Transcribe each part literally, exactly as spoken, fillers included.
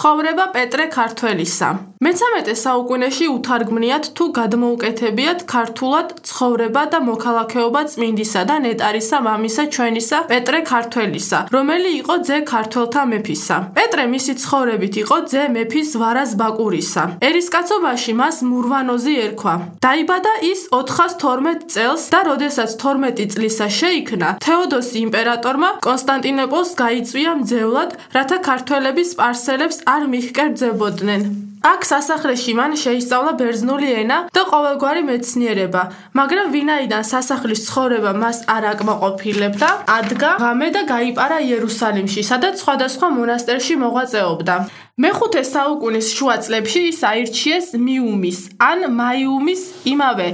ცხოვრება პეტრე ქართველისა. მეცამეტე საუკუნეში უთარგმნიათ თუ გადმოუკეთებიათ ქართულად ცხოვრება და მოქალაქეობა წმინდისა და ნეტარისა მამისა ჩვენისა პეტრე ქართველისა, რომელი იყო ძე ქართველთა მეფისა. პეტრე მისი ცხოვრებით იყო ძე მეფის ვარაზ ბაკურისა. ერისკაცობაში მას მურვანოზი ერქვა. დაიბადა ის ოთხას თორმეტ წელს და როდესაც თორმეტი წლისა შეიქმნა, თეოდოსი იმპერატორმა კონსტანტინოპოლს გაიწვია მძევლად, რათა ქართველები სპარსელებს არ მიჰკერძებოდნენ. აქ სასახლეში მან შეისწავლა ბერძნული ენა და ყოველგვარი მეცნიერება, მაგრამ ვინაიდან სასახლის ცხოვრება მას არ აკმაყოფილებდა, ადგა ღამე და გაიპარა იერუსალიმში, სადაც სხვადასხვა მონასტერში მოღვაწეობდა. მეხუთე საუკუნის შუა წლებში ის აირჩიეს მიუმის ან მაიუმის იმავე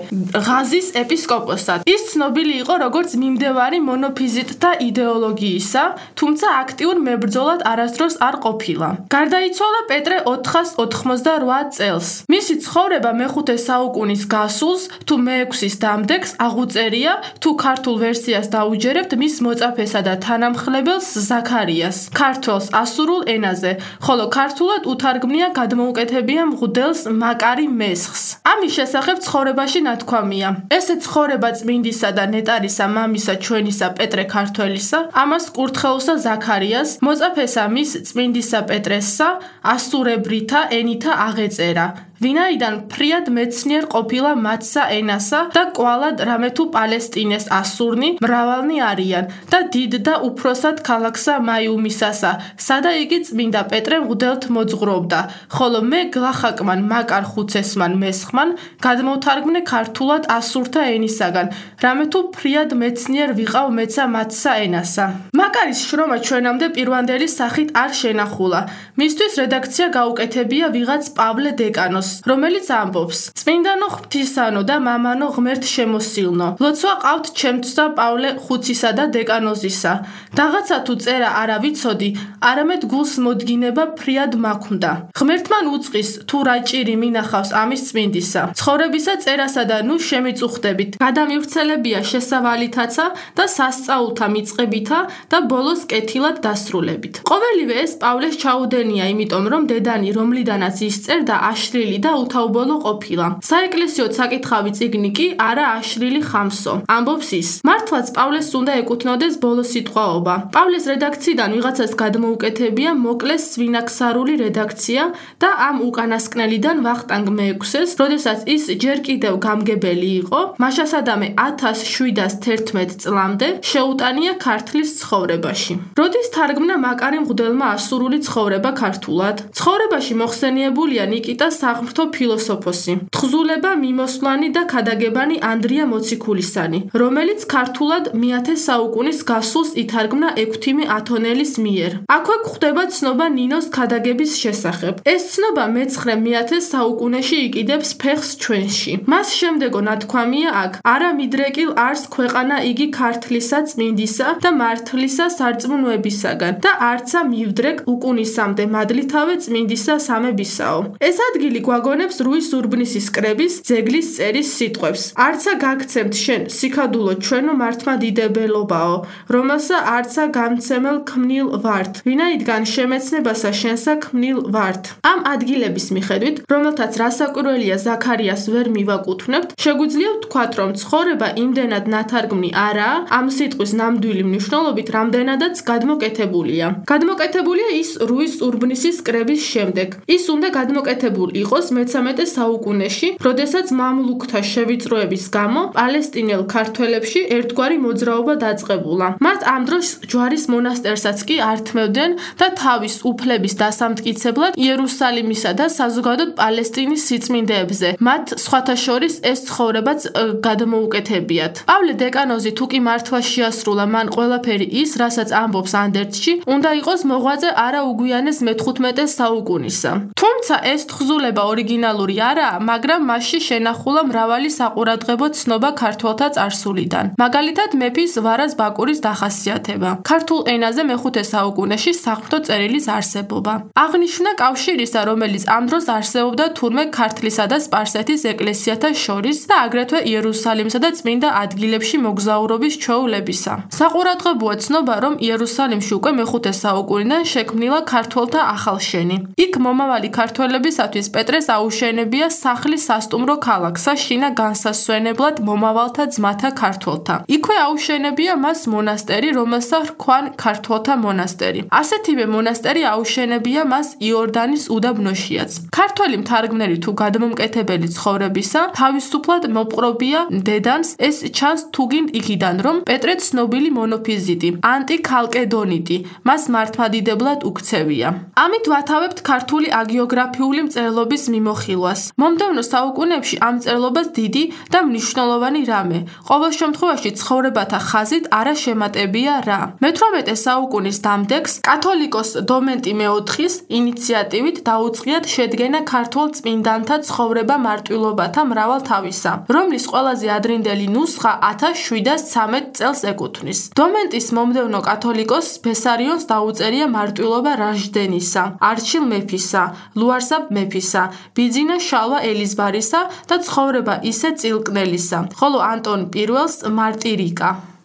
ღაზის ეპისკოპოსად. ის ცნობილი იყო როგორც მიმდევარი მონოფიზიტთა იდეოლოგიისა, თუმცა აქტიურ მებრძოლად არასდროს არ ყოფილა. გარდაიცვალა პეტრე ოთხას ოთხმოცდარვა წელს. მისი ცხოვრება მეხუთე საუკუნის გასულს თუ მეექვსის დამდეგს აღუწერია, თუ ქართულ ვერსიას დაუჯერებთ მის მოწაფესა და თანამხლებელს ზაქარიას, ქართველს ასურულ ენაზე, ხოლო ქართულად უთარგმნია გადმოუკეთებია მღვდელს მაკარი მესხს. ამის შესახებ ცხოვრებაში ნათქვამია. ესე ცხოვრება წმინდისა და ნეტარისა მამისა ჩვენისა პეტრე ქართველისა, ამას კურთხეულსა ზაქარიას, მოწაფესა მის წმინდისა პეტრესსა, ასურებრითა ენითა აღეწერა. ვინაიდან ფრიად მეცნიერ ყოფილა მათსა ენასა და კვალად რამე თუ პალესტინეს ასურნი მრავალნი არიან და დიდ და უფროსად ქალაქსა მაიუმისასა, სადა იგი წმინდა პეტრე მღვდელთ მოძღვრობდა, ხოლო მე გლახაკმან მაკარ ხუცესმან მესხმან გადმოვთარგმნე ქართულად ასურთა ენისაგან, რამე თუ ფრიად მეცნიერ ვიყავ მეცა მათსა ენასა. მაკარის შრომა ჩვენამდე პირვანდელი სახით არ შენახულა. მისთვის რედაქცია გაუკეთებია ვიღაც პავლე დეკანოს, რომელიც ამბობს: წმინდანო ღვთისანო და მამანო ღმერთ შემოსილნო, ლოცვა ყავთ ჩემთვსა პავლე ხუცისა და დეკანოზისა. დაღაცა თუ წერა არა ვიცოდი, არამედ გულს მოდგინება ფრიად მაქვდა. ღმერთმან უწყის თუ რა ჭირი მინახავს ამის წმინდისა. ცხოვრებისა წერასა და ნუ შემიწუხდებით. გადამივრცელებია შესავალითაცა და სასწაულთა მიწყებითა და ბოლოს კეთილად დასრულებით. ყოველივე ეს პავლეს ჩაუდენია, იმიტომ რომ დედანი, რომლიდანაც ისწერდა, აშლილი და უთაუბოლო ყოფილა. საეკლესიო საკითხავი წიგნი კი არა აშლილი ხამსო. ამბობს ის: მართლაც პავლეს უნდა ეკუთვნოდეს ბოლო სიტყვაობა. პავლეს რედაქციიდან ვიღაცას გადმოუკეთებია მოკლეს სვინაქსარული რედაქცია და ამ უკანასკნელიდან ვახტანგ მეექვსეს, როდესაც ის ჯერ კიდევ გამგებელი იყო, მაშასადამე ათას შვიდას თერთმეტ წლამდე შეუტანია ქართლის ცხოვრებაში. როდის თარგმნა მაკარი მღვდელმა ასურული ცხოვრება ქართულად? ცხოვრებაში მოხსენიებულია ნიკიტა საღმრთო ფილოსოფოსი, თხზულება მიმოსვლანი და ქადაგებანი ანდრია მოციქულისანი, რომელიც ქართულად მეათე საუკუნის გასულს ითარგმნა ექვთიმე ათონელის მიერ. აქვე გვხვდება ცნობა ნინოს ქადაგების შესახებ. ეს ცნობა მეცხრე მეათე საუკუნეში იყიდებს ფეხს ჩვენში. მას შემდეგო ნათქვამია აქ: არა მიდრეკილ არს ქვეყანა იგი ქართლისა წმინდისა და მართლისა სარწმუნოებისაგან და არცა მივდრეკ უკუნისამდე მადლითავე წმინდისა სამებისაო. ეს ადგილი გვაგონებს რუის ურბნისის კრების ძეგლის წერის სიტყვებს: არცა გაგცემთ შენ სიქადულო ჩვენო მართლმადიდებელობაო, რომელსა არცა გამცემელ ქმნილ ვართ, ვინაიდან შემეცნებასა შენსა ქმნილ ვართ. ამ ადგილების მიხედვით, რომელთაც რასაკვირველია ზაქარიას ვერ მივაკუთვნებთ, შეგვიძლია ვთქვათ, რომ ცხოვრება იმდენად ნათარგმნი არაა ამ სიტყვის ნამდვილი მნიშვნელობით, რამდენადაც გადმოკეთებულია. გადმოკეთებულია ის რუის ურბნისის კრების შემდეგ. ის უნდა გადმოკეთებული იყოს მეცამეტე საუკუნეში, როდესაც მამლუქთა შევიწროების გამო პალესტინელ ქართველებში ერთგვარი მოძრაობა დაწყებულა. მათ ამ დროს ჯვარის მონასტერსაც კი ართმევდნენ და თავის უფლების დასამტკიცებლად იერუსალიმისა და საზოგადოდ პალესტინის სიწმინდეებზე მათ სხვათა შორის ეს ცხოვრებაც გადმოუკეთებიათ. პავლე დეკანოზი თუ კი მართლა შეასრულა მან ყველაფერი ის, რასაც ამბობს ანდერძში, უნდა იყოს მოღვაწე არა უგვიანეს მეთხუთმეტე საუკუნისა. თუმცა ეს თხზულება ორიგინალური არაა, მაგრამ მასში შენახულა მრავალი საყურადღებო ცნობა ქართველთა წარსულიდან. მაგალითად, მეფის ვარაზ ბაკურის დახასიათება. ქართულ ენაზე მეხუთე საუკუნეში საღვთო წერილის არსებობა. აღნიშნა კავშირისა, რომელიც ამ დროს არსებობდა თურმე ქართლისა და სპარსეთის ეკლესიათა შორის და აგრეთვე იერუსალიმსა და წმინდა ადგილებში მოგზაურობის ჩვეულებისა. საყურადღებოა ცნობა, რომ იერუსალიმში უკვე მეხუთე საუკუნიდან შექმნილა ქართველთა ახალშენი. იქ მომავალი ქართველებისათვის პეტრეს აუშენებია სახლი სასტუმრო ქალაქსა შინა განსასვენებლად მომავალთა ძმათა ქართველთა. იქვე აუშენებია მას მონასტერი, რომელსაც ჰქვან ქართველთა მონასტერი. ასეთივე მონასტერი აუშენებია მას იორდანის უდაბნოშიაც. ქართველი მთარგმნელი თუ გადმომკეთებელი ცხოვრებისა თავისუფლად მოპყრობია დედანს, ეს ჩანს თუგინ იქიდან, რომ პეტრე ცნობილი მონოფიზიტი, ანტიქალკედონიტი, მას მართლმადიდებლად უქცევია. ამით ვათავებთ ქართული აგიოგრაფიული მწერლობის მიმოხილვას. მომდევნო საუკუნეებში ამ მწერლობას დიდი და მნიშვნელოვანი რამე, ყოველ შემთხვევაში ცხოვრებათა ხაზით არა შემატებია რა. მეთვრამეტე საუკუნის დამდეგს კათოლიკოს დომენტი მეოთხის ინიციატივით დაუწყიათ შედგენა ქართულ წმინდანთა ცხოვრება მარტვილობათა მრავალთავისა, რომლის ყველაზე ადრინდელი ნუსხა ათას შვიდას ცამეტ წელს ეკუთვნის. დომენტის მომდევნო კათოლიკოს ბესარიონს დაუწერია მარტვილობა რაჟდენისა, არჩილ მეფისა, ლუარსაბ მეფისა, ბიძინა შალვა ელიზბარისა და ცხოვრება ისე წილკნელისა, ხოლო ანტონ პირველს მარტირიკა.